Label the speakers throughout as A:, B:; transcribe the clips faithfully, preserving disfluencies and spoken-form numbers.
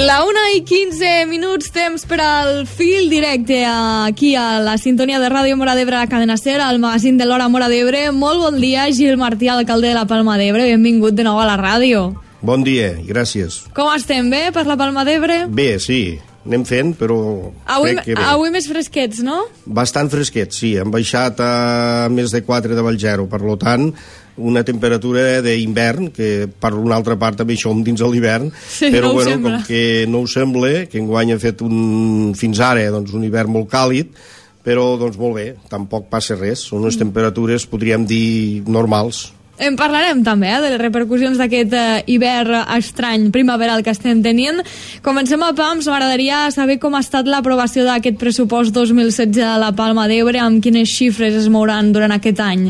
A: La una i quinze minuts, temps per al fil directe aquí a la sintonia de Ràdio Móra d'Ebre, a Cadena Ser, al magazín de l'Hora Móra d'Ebre. Molt bon dia, Gil Martí, alcalde de la Palma d'Ebre. Benvingut de nou a la ràdio.
B: Bon dia i gràcies.
A: Com estem, bé, per la Palma d'Ebre?
B: Bé, sí, anem fent, però
A: avui,
B: crec que bé.
A: Avui més fresquets, no?
B: Bastant fresquets, sí. Hem baixat a més de quatre de Valgero, per tant, una temperatura d'hivern, que per una altra part també som dins de l'hivern,
A: sí,
B: però
A: no
B: bueno,
A: sembla.
B: Com que no ho sembla, que enguany ha fet un, fins ara doncs, un hivern molt càlid, però doncs molt bé, tampoc passa res, són unes mm. temperatures, podríem dir, normals.
A: En parlarem també, eh, de les repercussions d'aquest eh, hivern estrany primaveral que estem tenint. Comencem a Pams. M'agradaria saber com ha estat l'aprovació d'aquest pressupost dos mil setze a la Palma d'Ebre, amb quines xifres es mouran durant aquest any.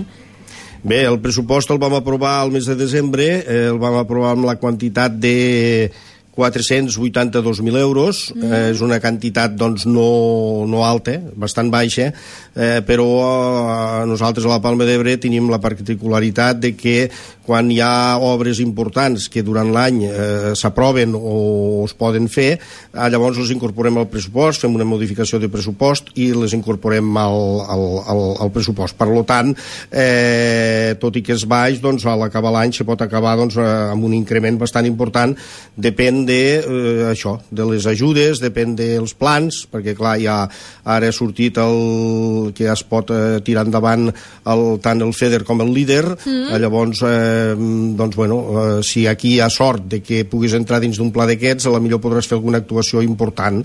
B: Bé, el pressupost el vam aprovar al mes de desembre, eh, el vam aprovar amb la quantitat de quatre-cents vuitanta-dos mil euros, mm. eh, és una quantitat doncs no, no alta, bastant baixa, eh, però eh, nosaltres a la Palma d'Ebre tenim la particularitat de que quan hi ha obres importants que durant l'any eh, s'aproven o es poden fer, eh, llavors les incorporem al pressupost, fem una modificació de pressupost i les incorporem al, al, al, al pressupost. Per tant, eh, tot i que és baix, doncs a l'acabar l'any se pot acabar doncs, amb un increment bastant important, depèn de eh, això, de les ajudes, depèn dels plans, perquè clar, ja ara ha sortit el que ja es pot eh, tirar endavant el, tant el FEDER com el LEADER, mm. eh, llavors eh, doncs bueno, eh, si aquí hi ha sort de que puguis entrar dins d'un pla d'aquests, a la millor podràs fer alguna actuació important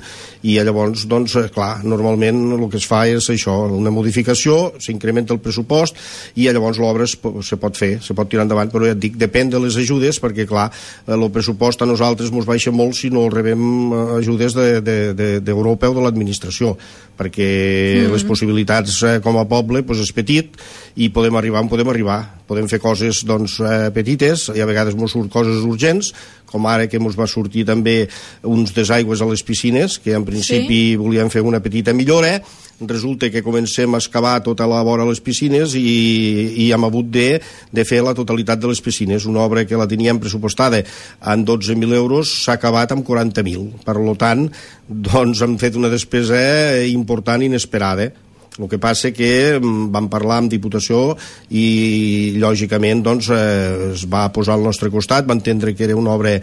B: i llavors, doncs, eh, clar, normalment el que es fa és això, una modificació, s'incrementa el pressupost i llavors l'obra es, se pot fer, se pot tirar endavant, però ja et dic, depèn de les ajudes, perquè clar, el pressupost a nosaltres ens baixa molt si no rebem ajudes d'Europa de, de, de, o de l'administració, perquè mm. les possibilitats eh, com a poble pues, és petit i podem arribar on podem arribar. Podem fer coses doncs, eh, petites, i a vegades ens surt coses urgents, com ara que ens va sortir també uns desaigües a les piscines, que en principi sí. volíem fer una petita millora, resulta que comencem a excavar tota la vora de les piscines i, i hem hagut de, de fer la totalitat de les piscines. Una obra que la teníem pressupostada en dotze mil euros s'ha acabat amb quaranta mil. Per tant, doncs hem fet una despesa important i inesperada. El que passa que vam parlar amb Diputació i, lògicament, doncs, eh, es va posar al nostre costat, va entendre que era una obra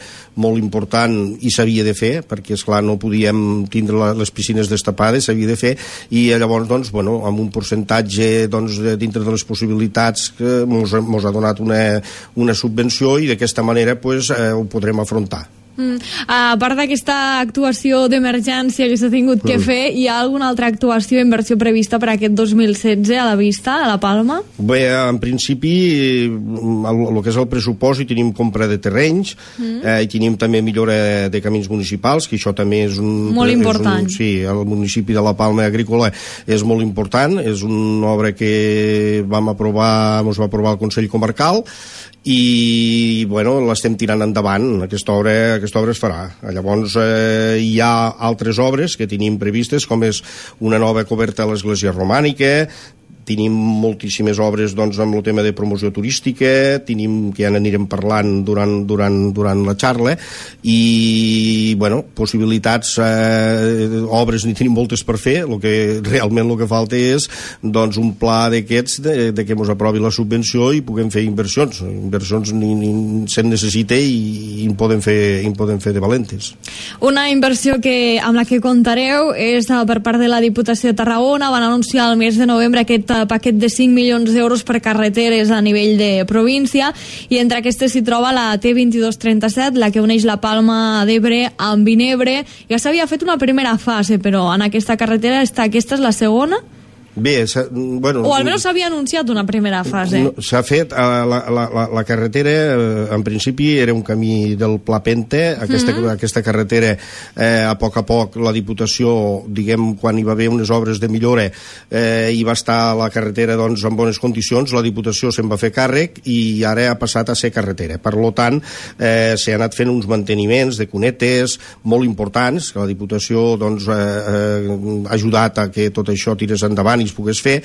B: molt important i s'havia de fer, perquè, esclar, no podíem tindre la, les piscines destapades, s'havia de fer, i llavors, doncs, bueno, amb un percentatge doncs, dintre de les possibilitats que mos, mos ha donat una, una subvenció i d'aquesta manera pues, eh, ho podrem afrontar.
A: Mm. A part d'aquesta actuació d'emergència que s'ha tingut que mm. fer, hi ha alguna altra actuació, inversió prevista per aquest dos mil setze a la vista, a la Palma?
B: Bé, en principi, el, el que és el pressupost, hi tenim compra de terrenys, mm. eh, hi tenim també millora de camins municipals, que això també és un...
A: Molt important.
B: És un, sí, el municipi de la Palma Agrícola és molt important, és una obra que vam aprovar, ens va aprovar el Consell Comarcal, i bueno, l'estem tirant endavant, aquesta obra, aquesta obra es farà. Llavors eh, hi ha altres obres que tenim previstes, com és una nova coberta a l'església romànica, tenim moltíssimes obres doncs, amb el tema de promoció turística, tenim, que ja n'anirem parlant durant, durant, durant la xarxa, i bueno, possibilitats, eh, obres n'hi tenim moltes per fer, el que realment el que falta és doncs, un pla d'aquests de, de que ens aprovi la subvenció i puguem fer inversions. Inversions ni, ni se'n necessita i, i en podem fer, en podem fer de valentes.
A: Una inversió que, amb la que comptareu és per part de la Diputació de Tarragona. Van anunciar al mes de novembre aquest paquet de cinc milions d'euros per carreteres a nivell de província, i entre aquestes s'hi troba la T vint dos trenta-set, la que uneix la Palma d'Ebre amb Vinebre. Ja s'havia fet una primera fase, però en aquesta carretera està, aquesta és la segona?
B: Bé, bueno,
A: o almenys s'havia anunciat una primera fase.
B: No, s'ha fet, la, la, la, la carretera en principi era un camí del Pla Pente, aquesta, mm -hmm. aquesta carretera eh, a poc a poc la Diputació, diguem, quan hi va haver unes obres de millora eh, hi va estar la carretera doncs, en bones condicions, la Diputació se'n va fer càrrec i ara ha passat a ser carretera. Per tant, eh, s'ha anat fent uns manteniments de cunetes molt importants, que la Diputació doncs, eh, eh, ha ajudat a que tot això tirés endavant i ells pogués fer,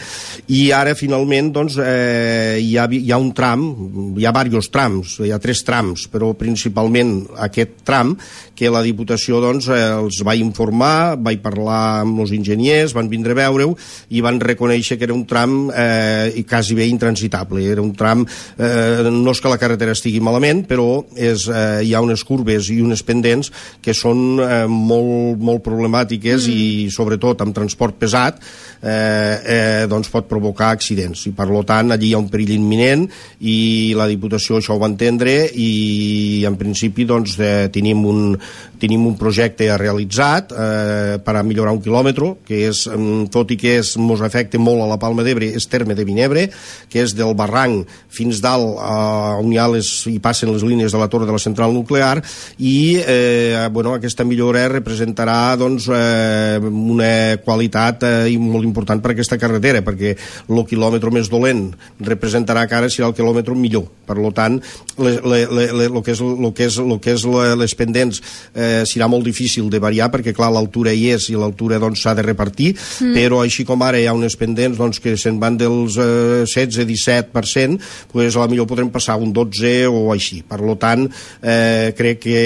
B: i ara finalment doncs, eh, hi, ha, hi ha un tram, hi ha diversos trams, hi ha tres trams, però principalment aquest tram que la Diputació doncs, eh, els va informar, va parlar amb els enginyers, van vindre a veure-ho i van reconèixer que era un tram eh, quasi bé intransitable. Era un tram, eh, no és que la carretera estigui malament, però és, eh, hi ha unes curves i unes pendents que són eh, molt, molt problemàtiques mm. i sobretot amb transport pesat eh, eh, doncs pot provocar accidents, i per tant allí hi ha un perill imminent i la Diputació això ho va entendre i en principi doncs, eh, tenim, un, tenim un projecte realitzat eh, per a millorar un quilòmetre que és, tot i que és, mos afecta molt a la Palma d'Ebre, és terme de Vinebre, que és del barranc fins dalt eh, on hi, ha les, hi passen les línies de la torre de la central nuclear, i eh, bueno, aquesta millora representarà doncs, eh, una qualitat eh, molt important per aquesta carretera, perquè el quilòmetre més dolent representarà que ara serà el quilòmetre millor. Per tant, el que és, lo que és, lo que és les pendents eh, serà molt difícil de variar, perquè clar, l'altura hi és i l'altura s'ha doncs, de repartir, mm. però així com ara hi ha unes pendents doncs, que se'n van dels eh, setze a disset per cent, doncs a la millor podrem passar un dotze o així. Per tant, eh, crec que,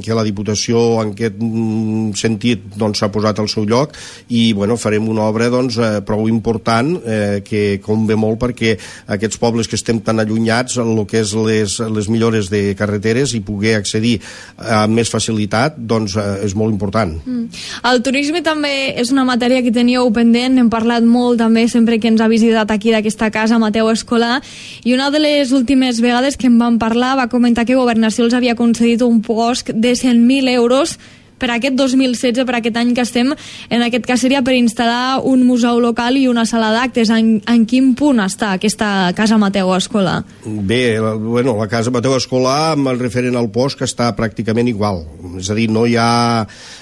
B: que la Diputació en aquest sentit s'ha doncs, posat al seu lloc i bueno, farem una obra doncs, eh, prou important eh, que convé molt perquè aquests pobles que estem tan allunyats el que és les, les millores de carreteres i poder accedir amb més facilitat doncs, eh, és molt important.
A: Mm. El turisme també és una matèria que teníeu pendent, hem parlat molt també sempre que ens ha visitat aquí d'aquesta casa Mateu Escolà, i una de les últimes vegades que en vam parlar va comentar que Governació els havia concedit un puosc de cent mil euros per aquest dos mil setze, per aquest any que estem, en aquest cas seria per instal·lar un museu local i una sala d'actes. En, en quin punt està aquesta Casa Mateu Escolà?
B: Bé, la, bueno, la Casa Mateu Escolà, amb el referent al puosc, està pràcticament igual. És a dir, no hi ha,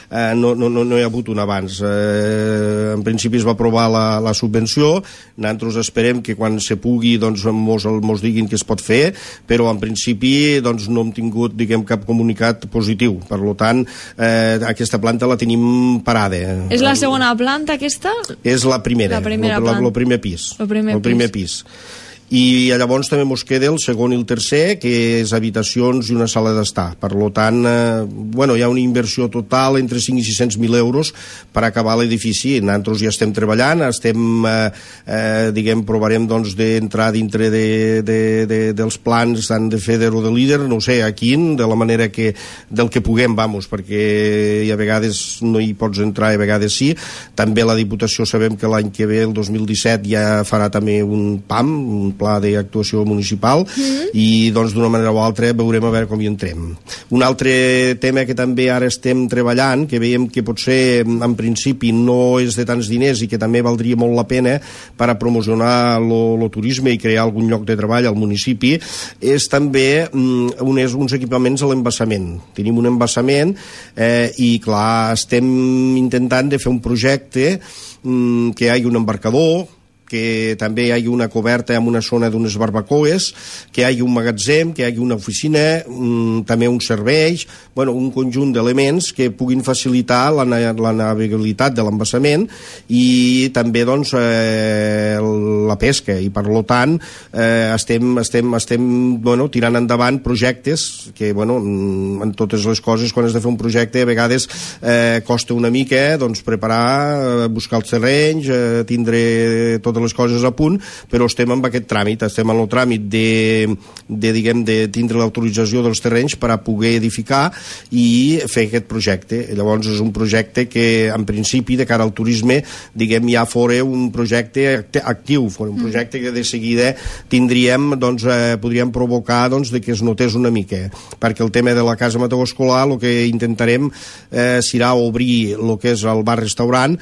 B: eh, no, no, no hi ha hagut un abans. Eh, en principi es va aprovar la, la subvenció, nosaltres esperem que quan se pugui doncs, mos, mos diguin que es pot fer, però en principi doncs, no hem tingut diguem, cap comunicat positiu. Per tant, eh, aquesta planta la tenim parada.
A: És la segona planta aquesta?
B: És la primera,
A: la primera
B: el, el primer pis.
A: El primer,
B: el primer
A: pis.
B: pis. I llavors també ens queda el segon i el tercer, que és habitacions i una sala d'estar. Per tant, eh, bueno, hi ha una inversió total entre cinc i sis-cents mil euros per acabar l'edifici. Nosaltres ja estem treballant, estem, eh, eh, diguem, provarem doncs, d'entrar dintre de, de, de, dels plans tant de FEDER o de líder, no ho sé, a quin, de la manera que, del que puguem, vamos, perquè a vegades no hi pots entrar, a vegades sí. També la Diputació sabem que l'any que ve, el dos mil disset, ja farà també un P A M, un pla d'actuació municipal, mm-hmm. i doncs d'una manera o altra veurem a veure com hi entrem. Un altre tema que també ara estem treballant, que veiem que potser en principi no és de tants diners i que també valdria molt la pena per a promocionar el turisme i crear algun lloc de treball al municipi, és també um, unes, uns equipaments a l'embassament. Tenim un embassament eh, i clar, estem intentant de fer un projecte um, que hi hagi un embarcador, que també hi hagi una coberta amb una zona d'unes barbacoes, que hi hagi un magatzem, que hi hagi una oficina, um, també uns serveis, bueno, un conjunt d'elements que puguin facilitar la, la navegabilitat de l'embassament i també doncs, eh, la pesca, i per tant eh, estem, estem, estem bueno, tirant endavant projectes que bueno, en totes les coses quan has de fer un projecte a vegades eh, costa una mica doncs, preparar, buscar els terrenys, eh, tindre tot de les coses a punt, però estem en aquest tràmit, estem en el tràmit de, de, diguem, de tindre l'autorització dels terrenys per a poder edificar i fer aquest projecte. Llavors és un projecte que en principi de cara al turisme, diguem, ja fora un projecte actiu, fora un projecte que de seguida tindríem, doncs, eh, podríem provocar doncs, de que es notés una mica, perquè el tema de la Casa Mateu Escolà, el que intentarem eh, serà obrir el que és el bar-restaurant,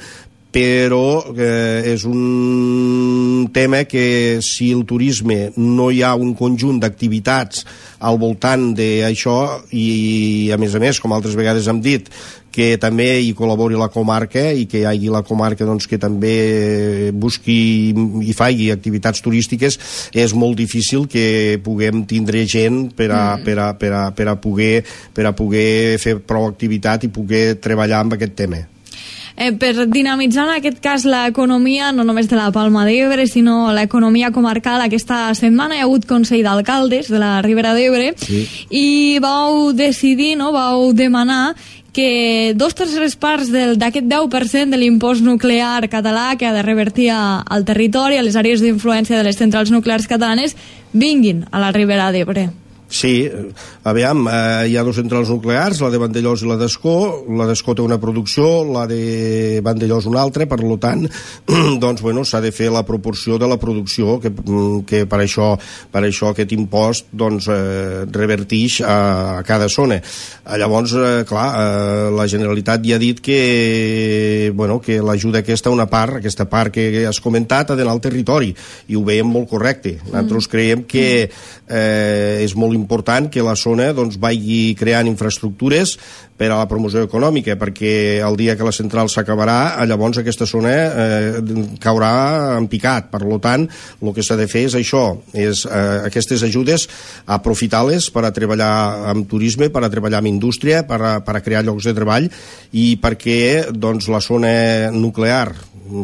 B: però eh, és un tema que si el turisme no hi ha un conjunt d'activitats al voltant d'això i a més a més, com altres vegades hem dit, que també hi col·labori la comarca i que hi hagi la comarca doncs, que també busqui i faci activitats turístiques, és molt difícil que puguem tindre gent per a, mm. per a, per a, per a, poder, per a poder fer prou activitat i poder treballar amb aquest tema.
A: eh, per dinamitzar en aquest cas l'economia no només de la Palma d'Ebre, sinó l'economia comarcal. Aquesta setmana hi ha hagut Consell d'Alcaldes de la Ribera d'Ebre, sí. I vau decidir, no, vau demanar que dos terceres parts d'aquest deu per cent de l'impost nuclear català que ha de revertir a, al territori, a les àrees d'influència de les centrals nuclears catalanes, vinguin a la Ribera d'Ebre.
B: Sí, aviam, eh, hi ha dues centrals nuclears, la de Vandellòs i la d'Escó. La d'Escó té una producció, la de Vandellòs una altra, per tant, doncs, bueno, s'ha de fer la proporció de la producció, que, que per això per això aquest impost doncs, eh, revertix a, a cada zona. Llavors, eh, clar, eh, la Generalitat ja ha dit que, bueno, que l'ajuda aquesta, una part, aquesta part que has comentat, ha d'anar al territori, i ho veiem molt correcte. Nosaltres mm. creiem que eh, és molt important que la zona doncs, vagi creant infraestructures per a la promoció econòmica, perquè el dia que la central s'acabarà, llavors aquesta zona eh, caurà en picat. Per tant, el que s'ha de fer és això, és eh, aquestes ajudes aprofitar-les per a treballar amb turisme, per a treballar amb indústria, per a, per a crear llocs de treball, i perquè doncs, la zona nuclear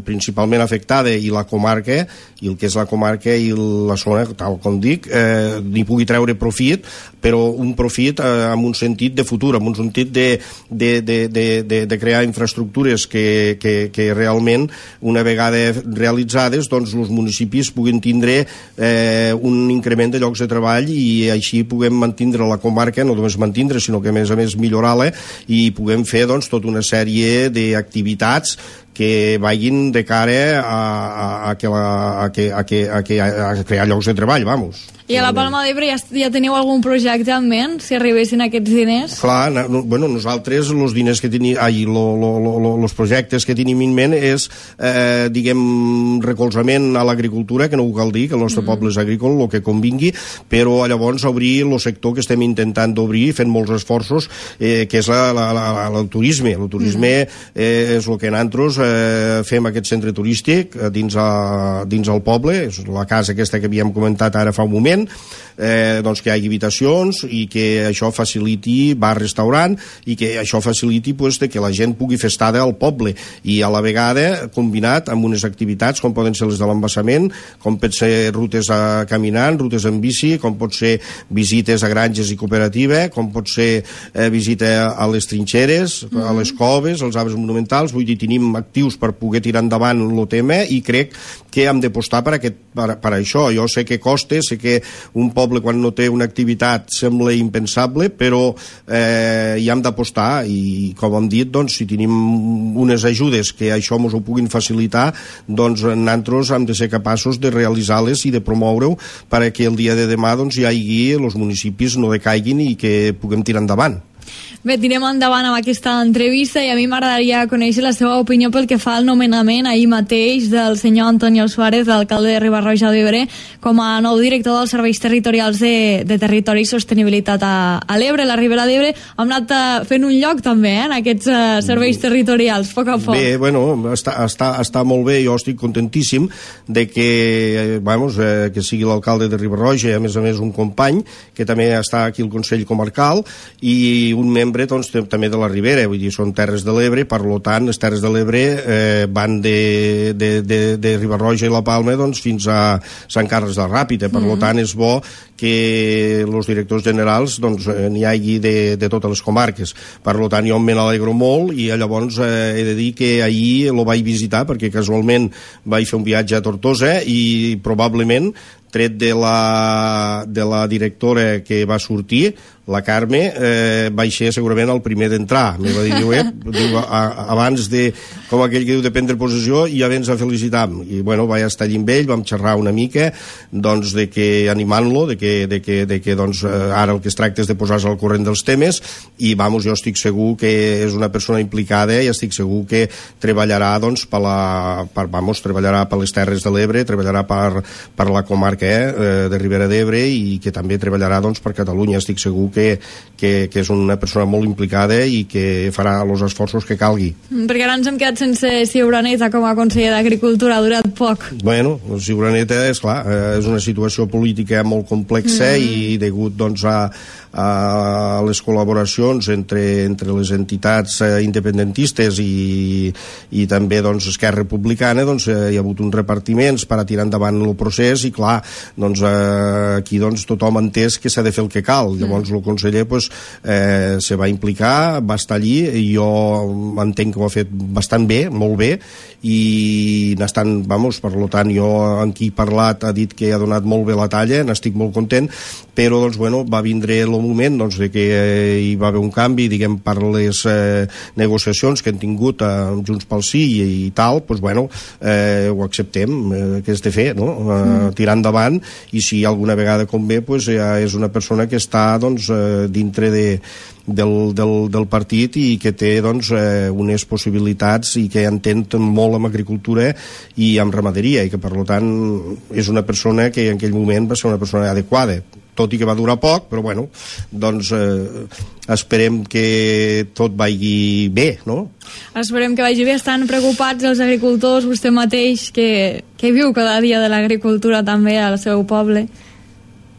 B: principalment afectada i la comarca, i el que és la comarca i la zona, tal com dic, eh, n'hi pugui treure profit, però un profit eh, amb un sentit de futur, amb un sentit de, de, de, de, de, de crear infraestructures que, que, que realment, una vegada realitzades, doncs els municipis puguin tindre eh, un increment de llocs de treball, i així puguem mantindre la comarca, no només mantindre, sinó que a més a més millorar-la, i puguem fer doncs, tota una sèrie d'activitats que vagin de cara a, a, a, que la, a, que, a, que, a, que, a crear llocs de treball, vamos.
A: I a la Palma d'Ebre ja, ja teniu algun projecte en ment, si arribessin aquests diners?
B: Clar, no, bueno, nosaltres els diners que tenim, ai, lo, lo, lo, lo, los projectes que tenim en ment és, eh, diguem, recolzament a l'agricultura, que no ho cal dir, que el nostre mm. poble és agrícola, el que convingui, però llavors obrir el sector que estem intentant d'obrir, fent molts esforços, eh, que és la, la, la, la, el turisme. El turisme mm. eh, és el que nosaltres eh, fem aquest centre turístic dins, a, dins el poble, és la casa aquesta que havíem comentat ara fa un moment, Eh, doncs que hi hagi habitacions i que això faciliti bar-restaurant, i que això faciliti pues, de que la gent pugui fer estada al poble, i a la vegada combinat amb unes activitats com poden ser les de l'embassament, com pot ser rutes a caminant, rutes en bici, com pot ser visites a granges i cooperativa, com pot ser eh, visita a les trinxeres, mm-hmm. a les coves, als arbres monumentals. Vull dir, tenim actius per poder tirar endavant el tema, i crec que hem d'apostar per, aquest, per, per això. Jo sé que costa, sé que un poble quan no té una activitat sembla impensable, però eh, hi hem d'apostar, i com hem dit, doncs, si tenim unes ajudes que això ens ho puguin facilitar, doncs nosaltres hem de ser capaços de realitzar-les i de promoure-ho perquè el dia de demà doncs, hi hagi, els municipis no decaiguin i que puguem tirar endavant.
A: Bé, tirem endavant amb aquesta entrevista, i a mi m'agradaria conèixer la seva opinió pel que fa al nomenament ahir mateix del senyor Antonio Suárez, l'alcalde de Riba-roja d'Ebre, com a nou director dels serveis territorials de, de territori i sostenibilitat a, a l'Ebre, la Ribera d'Ebre. Hem anat uh, fent un lloc també eh, en aquests uh, serveis territorials, poc a poc.
B: Bé, bueno, està, està, està molt bé, jo estic contentíssim de que, eh, vamos, eh, que sigui l'alcalde de Riba-roja, a més a més un company, que també està aquí al Consell Comarcal, i un membre doncs, també de la Ribera, vull dir, són Terres de l'Ebre, per tant, les Terres de l'Ebre eh, van de, de, de, de Riba-roja i la Palma doncs, fins a Sant Carles de la Ràpita, per mm-hmm. tant, és bo que els directors generals doncs, n'hi hagi de, de totes les comarques. Per tant, jo me n'alegro molt, i llavors eh, he de dir que ahir lo vaig visitar, perquè casualment vaig fer un viatge a Tortosa, i probablement tret de la, de la directora que va sortir, la Carme, eh, vaig ser segurament el primer d'entrar. Me va dir, diu, eh, diu, a, abans de, com aquell que diu, de prendre possessió, i ja vens a felicitar-me. I, bueno, vaig estar allà amb ell, vam xerrar una mica, doncs, de que, animant-lo, de que, de que, de que doncs, ara el que es tracta és de posar-se al corrent dels temes, i, vamos, jo estic segur que és una persona implicada, i estic segur que treballarà, doncs, per la, per, vamos, treballarà per les Terres de l'Ebre, treballarà per, per la comarca comarca eh, de Ribera d'Ebre i que també treballarà doncs, per Catalunya. Estic segur que, que, que és una persona molt implicada i que farà els esforços que calgui.
A: Perquè ara ens hem quedat sense Ciuraneta com a conseller d'Agricultura, ha durat poc.
B: Bueno, Ciuraneta, és clar, eh, és una situació política molt complexa mm. i degut doncs, a, a les col·laboracions entre, entre les entitats eh, independentistes i, i també doncs, Esquerra Republicana, doncs, eh, hi ha hagut uns repartiments per a tirar endavant el procés i clar, doncs, eh, aquí doncs, tothom ha entès que s'ha de fer el que cal. Llavors el conseller pues, eh, se va implicar, va estar allí i jo entenc que ho ha fet bastant bé, molt bé, i n'estan, vamos, per tant jo amb qui he parlat ha dit que ha donat molt bé la talla, n'estic molt content, però doncs, bueno, va vindre el moment doncs, de que eh, hi va haver un canvi, diguem, per les eh, negociacions que hem tingut eh, Junts pel Sí i, i tal, doncs, bueno, eh, ho acceptem, eh, que és de fer, no? Eh, mm. tirar endavant, i si alguna vegada convé, doncs, ja és una persona que està doncs, eh, dintre de Del, del, del partit i que té doncs, eh, unes possibilitats i que entén molt amb agricultura i amb ramaderia i que per tant és una persona que en aquell moment va ser una persona adequada, tot i que va durar poc, però bueno, doncs eh, esperem que tot vagi bé, no?
A: Esperem que vagi bé. Estan preocupats els agricultors, vostè mateix que, que viu cada dia de l'agricultura també al seu poble?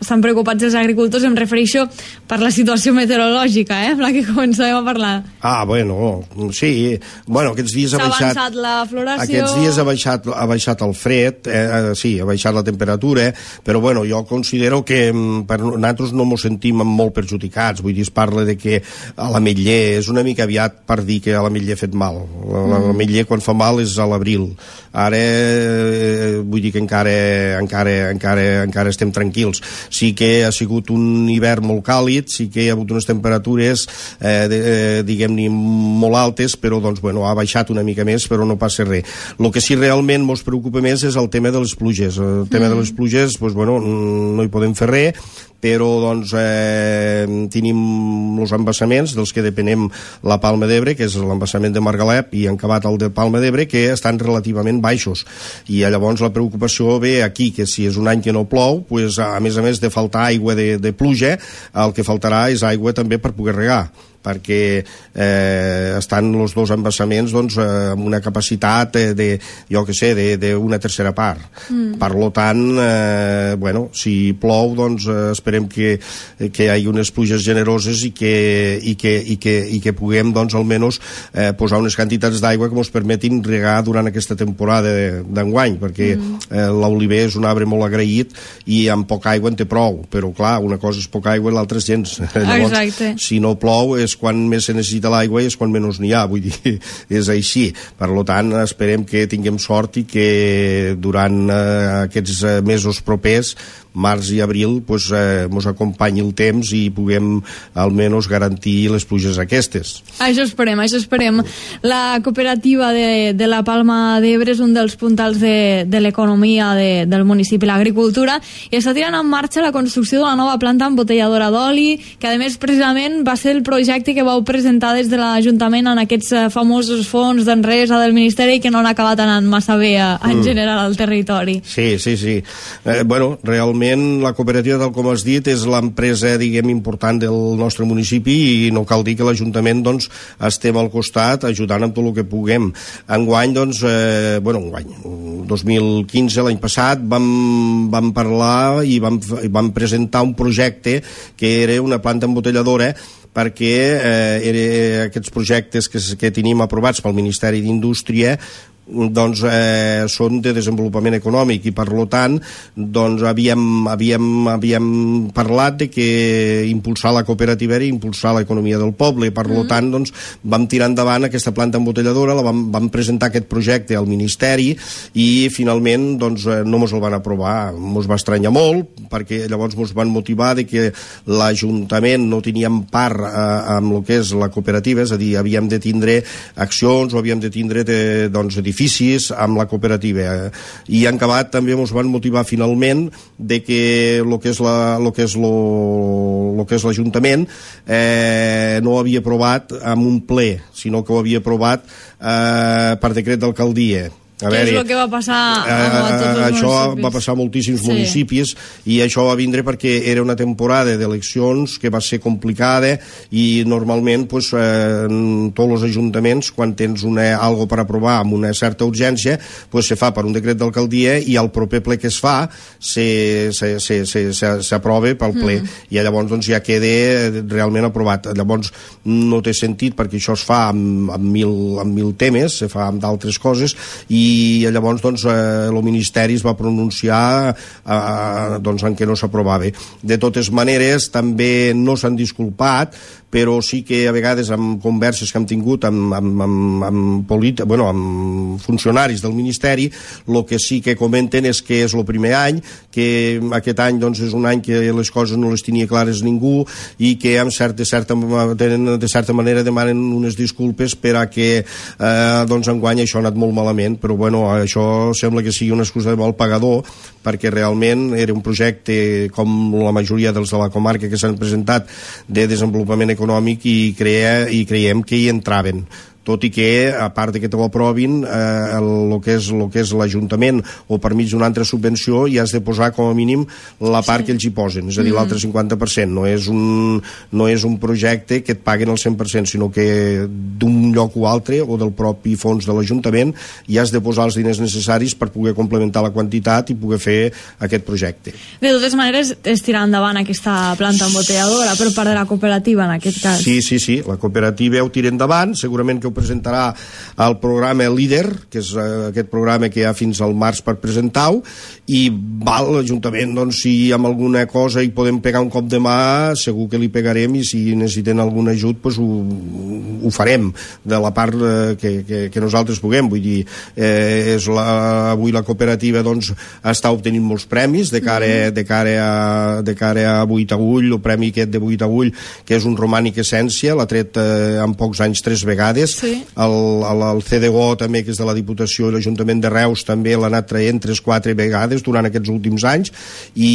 A: Estan preocupats els agricultors, em refereixo per la situació meteorològica, eh, amb la que començàvem a parlar.
B: Ah, bueno, sí. Bueno, aquests dies ha baixat...
A: S'ha avançat la floració...
B: Aquests dies ha baixat, ha baixat el fred, eh, sí, ha baixat la temperatura, però bueno, jo considero que per nosaltres no ens sentim molt perjudicats. Vull dir, es parla de que a l'ametller és una mica aviat per dir que a l'ametller ha fet mal. L'ametller quan fa mal és a l'abril. Ara, eh, vull dir que encara, encara, encara, encara estem tranquils. Sí que ha sigut un hivern molt càlid, sí que hi ha hagut unes temperatures eh, de, eh, diguem-ne molt altes, però doncs, bueno, ha baixat una mica més, però no passa res. El que sí realment ens preocupa més és el tema de les pluges. El tema mm. de les pluges, doncs, bueno, no hi podem fer res, però doncs, eh, tenim els embassaments dels que depenem la Palma d'Ebre, que és l'embassament de Margalep i Encabat el de Palma d'Ebre, que estan relativament baixos. I llavors la preocupació ve aquí, que si és un any que no plou, pues, a més a més de faltar aigua de, de pluja, el que faltarà és aigua també per poder regar, perquè eh, estan els dos embassaments doncs, eh, amb una capacitat de, de jo que sé, d'una tercera part. Mm. Per lo tant, eh, bueno, si plou, doncs eh, esperem que, que hi hagi unes pluges generoses i que, i que, i que, i que puguem, doncs, almenys eh, posar unes quantitats d'aigua que ens permetin regar durant aquesta temporada d'enguany, perquè mm. eh, l'oliver és un arbre molt agraït i amb poca aigua en té prou, però clar, una cosa és poca aigua i l'altra és gens. Llavors, exacte. Si no plou és quan més se necessita l'aigua i és quan menys n'hi ha, vull dir, és així. Per tant, esperem que tinguem sort i que durant eh, aquests mesos propers, març i abril, pues, eh, mos acompanyi el temps i puguem almenys garantir les pluges aquestes.
A: Això esperem, això esperem. La cooperativa de, de la Palma d'Ebre és un dels puntals de, de l'economia de, del municipi, l'agricultura, i està tirant en marxa la construcció de la nova planta embotelladora d'oli, que a més precisament va ser el projecte que vau presentar des de l'Ajuntament en aquests famosos fons d'enresa del Ministeri que no han acabat anant massa bé a, en mm. general al territori.
B: Sí, sí, sí. Eh, bueno, realment la cooperativa, tal com has dit, és l'empresa, diguem, important del nostre municipi i no cal dir que l'Ajuntament, doncs, estem al costat ajudant amb tot el que puguem. Enguany, doncs, eh, bueno, enguany, dos mil quinze, l'any passat, vam, vam parlar i vam, vam presentar un projecte que era una planta embotelladora perquè eh, era, aquests projectes que, que tenim aprovats pel Ministeri d'Indústria doncs eh, són de desenvolupament econòmic i per lo tant doncs havíem, havíem, havíem parlat de que impulsar la cooperativa era impulsar l'economia del poble i per lo tant doncs vam tirar endavant aquesta planta embotelladora, la vam, vam presentar aquest projecte al Ministeri i finalment doncs no mos el van aprovar, mos va estranyar molt perquè llavors mos van motivar de que l'Ajuntament no teníem part eh, amb el que és la cooperativa, és a dir, havíem de tindre accions o havíem de tindre de, doncs, edificis amb la cooperativa i en acabat també ens van motivar finalment de que el que és la, lo que és lo, lo que és l'Ajuntament eh, no ho havia aprovat amb un ple, sinó que ho havia aprovat eh, per decret d'alcaldia.
A: A que veure, és el que va passar a, a tots els
B: això
A: municipis.
B: Va passar a moltíssims
A: sí.
B: municipis, i això va vindre perquè era una temporada d'eleccions que va ser complicada, i normalment pues, eh, tots els ajuntaments, quan tens una, algo per aprovar amb una certa urgència, pues, se fa per un decret d'alcaldia, i al proper ple que es fa s'aprova pel ple, mm. i llavors doncs, ja queda realment aprovat. Llavors no té sentit, perquè això es fa amb, amb, mil, amb mil temes, se fa amb d'altres coses, i i llavors doncs, eh, el Ministeri es va pronunciar eh, doncs, en què no s'aprovava. De totes maneres, també no s'han disculpat, però sí que a vegades amb converses que hem tingut amb, amb, amb, amb, politi- bueno, amb funcionaris del Ministeri, el que sí que comenten és que és el primer any, que aquest any doncs, és un any que les coses no les tenia clares ningú, i que amb certa, de, certa, de certa manera demanen unes disculpes per a que eh, doncs, enguany això ha anat molt malament, però bueno, això sembla que sigui una excusa de mal pagador, perquè realment era un projecte, com la majoria dels de la comarca que s'han presentat, de desenvolupament econòmic, econòmic, i, crea, i creiem que hi entraven. Tot i que, a part que te ho aprovin, eh, el que és, lo que és l'Ajuntament, o per mig d'una altra subvenció, hi has de posar com a mínim la part sí. que ells hi posen, és a dir, mm. l'altre cinquanta per cent. No és, un, no és un projecte que et paguen el cent per cent, sinó que d'un lloc o altre, o del propi fons de l'Ajuntament, hi has de posar els diners necessaris per poder complementar la quantitat i poder fer aquest projecte.
A: De totes maneres, és tirar endavant aquesta planta embotelladora per part de la cooperativa, en aquest cas.
B: Sí, sí, sí, la cooperativa ho tira endavant, segurament que presentarà el programa Líder, que és uh, aquest programa que hi ha fins al març per presentar-ho, i val, l'Ajuntament, doncs, si amb alguna cosa hi podem pegar un cop de mà, segur que li pegarem, i si necessiten algun ajut, doncs ho, ho farem, de la part uh, que, que, que nosaltres puguem. Vull dir, eh, és la, avui la cooperativa doncs, està obtenint molts premis de cara, mm. de cara, a, de cara a Buitagull, el premi aquest de Buitagull, que és un romànic essència, l'ha tret eh, en pocs anys tres vegades. Sí. El, el, el C D G O també, que és de la Diputació, i l'Ajuntament de Reus també l'ha anat traient tres quatre vegades durant aquests últims anys, i,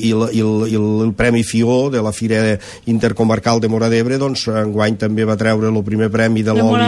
B: i, el, i, el, i el Premi FIO de la Fira Intercomarcal de Móra d'Ebre, doncs enguany també va treure el primer premi de l'oli,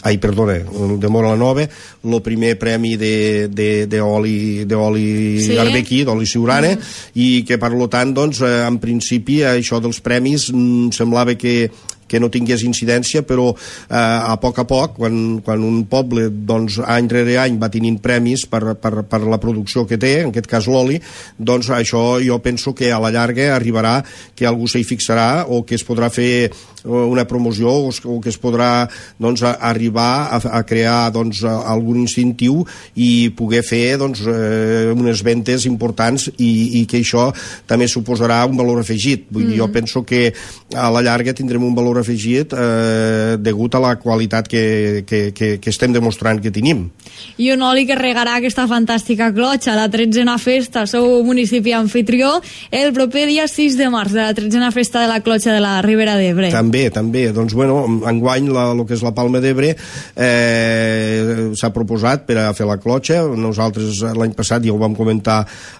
B: ai, perdona, de Móra la Nova, el primer premi d'oli d'oli sí. arbequí, d'oli siurana, mm. i que per lo tant, doncs, en principi això dels premis mm, semblava que que no tingués incidència, però eh, a poc a poc, quan, quan un poble doncs, any rere any va tenint premis per, per, per la producció que té, en aquest cas l'oli, doncs això jo penso que a la llarga arribarà que algú s'hi fixarà, o que es podrà fer una promoció, o, o que es podrà doncs, a, arribar a, a crear doncs, a, algun incentiu i poder fer doncs, eh, unes ventes importants, i, i que això també suposarà un valor afegit. Vull mm. dir, jo penso que a la llarga tindrem un valor afegit eh, degut a la qualitat que, que, que, que estem demostrant que tenim.
A: I un oli que regarà aquesta fantàstica clotxa, la tretzena festa, sou municipi anfitrió, el proper dia sis de març, de la tretzena festa de la clotxa de la Ribera d'Ebre.
B: També, també. Doncs, bueno, enguany la, el que és la Palma d'Ebre eh, s'ha proposat per a fer la clotxa. Nosaltres l'any passat ja ho vam comentar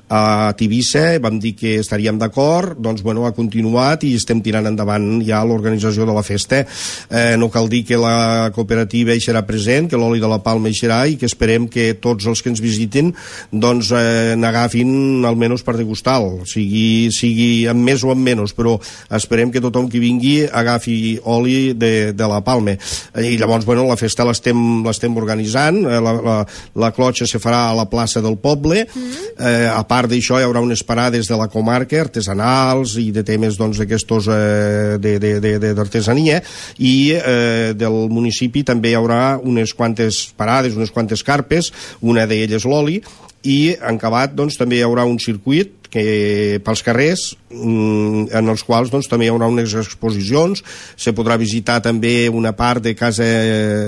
B: a Tivissa, vam dir que estaríem d'acord, doncs, bueno, ha continuat i estem tirant endavant ja l'organització de la festa. Eh, no cal dir que la cooperativa hi serà present, que l'oli de la Palma hi serà, i que esperem que tots els que ens visitin doncs eh, n'agafin almenys per degustar-lo, sigui, sigui amb més o amb menys, però esperem que tothom que vingui agafi oli de, de la Palma. I llavors, bueno, la festa l'estem l'estem organitzant, la, la, la clotxa se farà a la plaça del poble, mm. eh, a part d'això hi haurà unes parades de la comarca, artesanals i de temes doncs d'aquestos eh, de, de, de, de d'artesania, i eh, del municipi també hi haurà unes quantes parades, unes quantes carpes, una d'elles l'oli, i en acabat doncs, també hi haurà un circuit que pels carrers, en els quals doncs, també hi haurà unes exposicions. Se podrà visitar també una part de casa,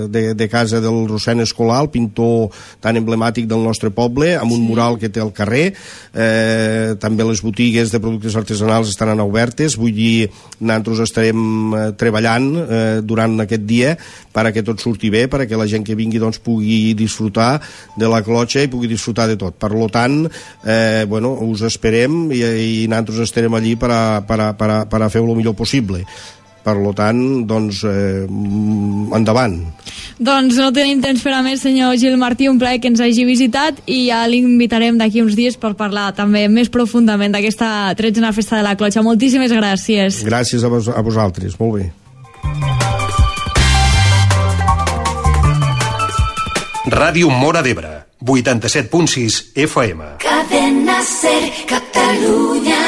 B: de, de casa del Rossèn Escolà, el pintor tan emblemàtic del nostre poble, amb un mural que té al carrer. Eh, també les botigues de productes artesanals estaran obertes. Vull dir, nosaltres estarem eh, treballant eh, durant aquest dia perquè tot surti bé, perquè la gent que vingui doncs, pugui disfrutar de la clotxa i pugui disfrutar de tot. Per tant, eh, bueno, us esperem i, i nosaltres estarem allí per a, per a, per a, per a fer-ho el millor possible. Per tant, doncs, eh, endavant.
A: Doncs no tenim temps per a més, senyor Gil Martí, un plaer que ens hagi visitat i ja l'invitarem d'aquí uns dies per parlar també més profundament d'aquesta tretzena festa de la Clotxa. Moltíssimes gràcies.
B: Gràcies a, vos a vosaltres, molt bé.
C: Ràdio Móra d'Ebre, vuitanta-set punt sis F M.
D: Cadena Ser, Catalunya.